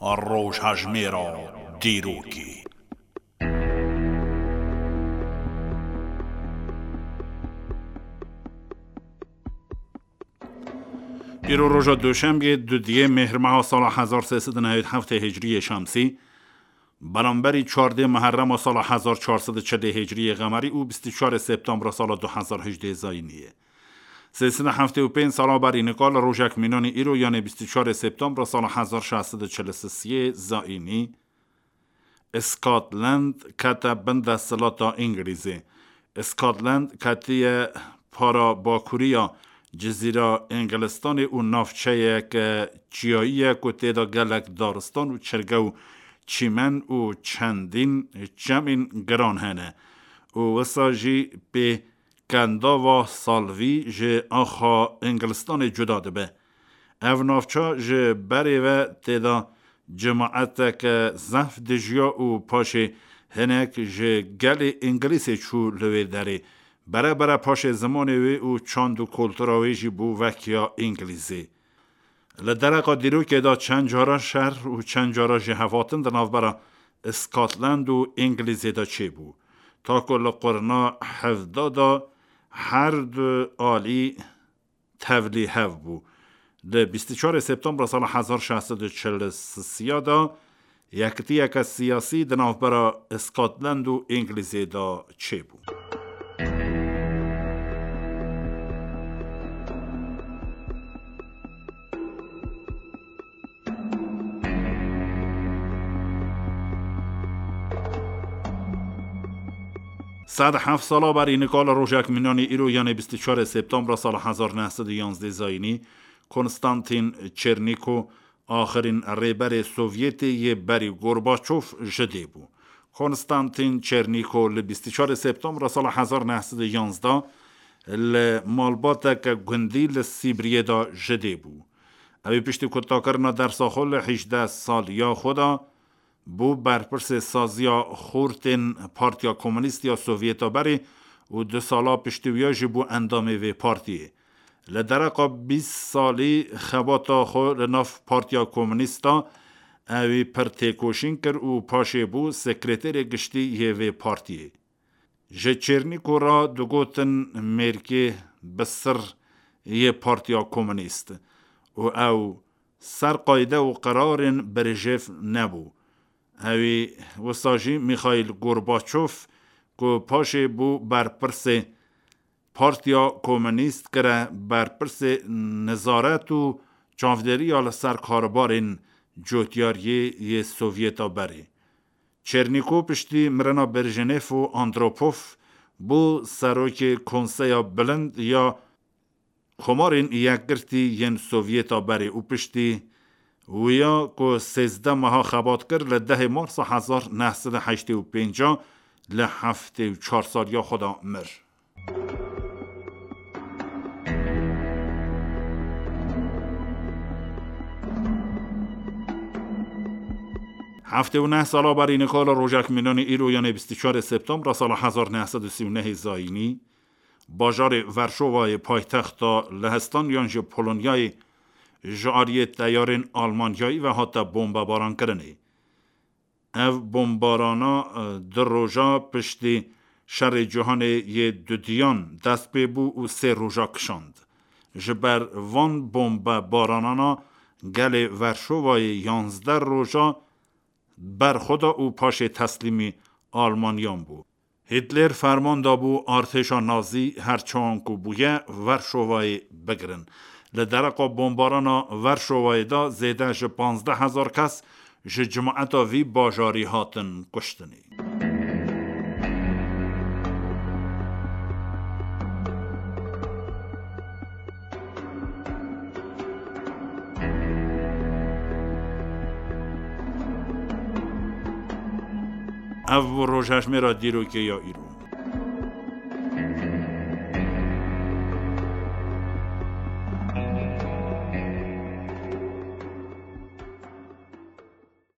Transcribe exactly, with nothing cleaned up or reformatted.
Rojhejmêra dîrokê. Îro roja Duşembê, dudiyê Mêhrmeha sala hezar sê sed û newêd heftê Hicriyê Şemsî, beramberî çardê Muherrema sala hezar çar sed û çilê Hicriyê Qemerî û bîst û çarê Septembra sala du hezar hejdê Zayînî ye. Sê sed û heftê û pênc sala berî nika li rojek mînanî îro, yanê bîst û çarê Septembra sala hezar şeş sed û çil û sê Zayînî, Scotland kete bin desthilata Îngilîzê. Scotland ketiye para bakuriya Cizîra Îngilistanê û navçeyeke çiyayî ye ku tê de gelek daristan û çirge û çîmen û çendîn çemên giran hene û wisa jî pê kendava salvî ji axa Îngilistanê cuda dibe. Ev navça ji berê ve tê de cemaeteke zehf dijiya û paşê hinek ji gelê Îngilîzê çû li wê derê. Bere bere paşê zimanê wê û çand û kultura wê jî bû wek ya Îngilîzê. Li dereqa dîrokê de çend cara şer û çend cara jî hevatin di navbera Scotland û Îngilîzê de çêbû. Ta ku li qurna hevda de her du alî tevlî hev bû. Li bîst û çarê Septembra sala hezar şeş sed û çil û sê de yekitiyeke siyasî di navbera Scotland û Îngilîzê de çêbû. Sed heft sala berî nika li rojek mînanî îro, yanê bîst û çarê Septembra sala hezar neh sed û yanzdeh Zayînî, Konstantin Çernîko, axirîn rêberê Sovyetê yê berî Gorbaçov ji dê bû. Konstantin Çernîko li bîst û çarê Septembra sala hezar neh sed û yanzdeh li malbateke gundî li Sîbriyê de ji dê bû. Ew ê piştî kutakirina dersa xwe li hejdeh saliya xwe de bû berpirsê saziya xortên Partiya Komûnîst ya Sovyeta berê û du sala piştî wiya jî bû endamê vê partiyê. Li dereqa bîst salî xebata xwe li nav Partiya Komûnîst de, ewî pir têkoşîn kir û paşê bû sekreterê giştî yê vê partiyê. Ji Çernîko re digotin mêrkê bi sir yê Partiya Komûnîst û ew ser qayde û qerarên Brejnev nebû. Ewî wisa jî Mîxaîl Gorbaçov ku paşê bû berpirsê Partiya Komûnîst kire berpirsê nezaret û çavdêriya li ser karbarên cotyariyê yê Sovyeta berê. Çernîko piştî mirina Brejnev û Andropov bû serokê Konseya Bilind ya Komarên Yekgirtî yên Sovyeta berê û piştî wiya ku sêzdeh meha xebat kir, li dehê Marsa hezar neh sed û heştê û pênc li heftê û çar saliya xwe de mir. Heftê û neh sala berî nika li rojek mînanî îro, yanê bîst û çarê Septembra sala hezar neh sed û sî û nehê Zayînî, bajarê Verşovayê paytexta Lehistan yan jî Polonyayê ji aliyê teyarên Almanyayî ve hate bombebarankirinê. Ev bombarana, e, du roja piştî Şerê Cîhanê yê Dudiyan dest pê bû û sê roja kişand. Ji ber van bombebaranana gelê Verşovayê yanzdeh roja berxwe da û paşê teslîmî Almanyan bû. Hîtler ferman dabû artêşa Nazî her çawan ku bûye Verşovayê bigirin. Li dereqa bombarana Verşovayê de zêde ji panzdeh hezar kes ji cimaeta vî bajarî hatin kuştinê. Ev bû rojhejmêra dîrokê ya îro.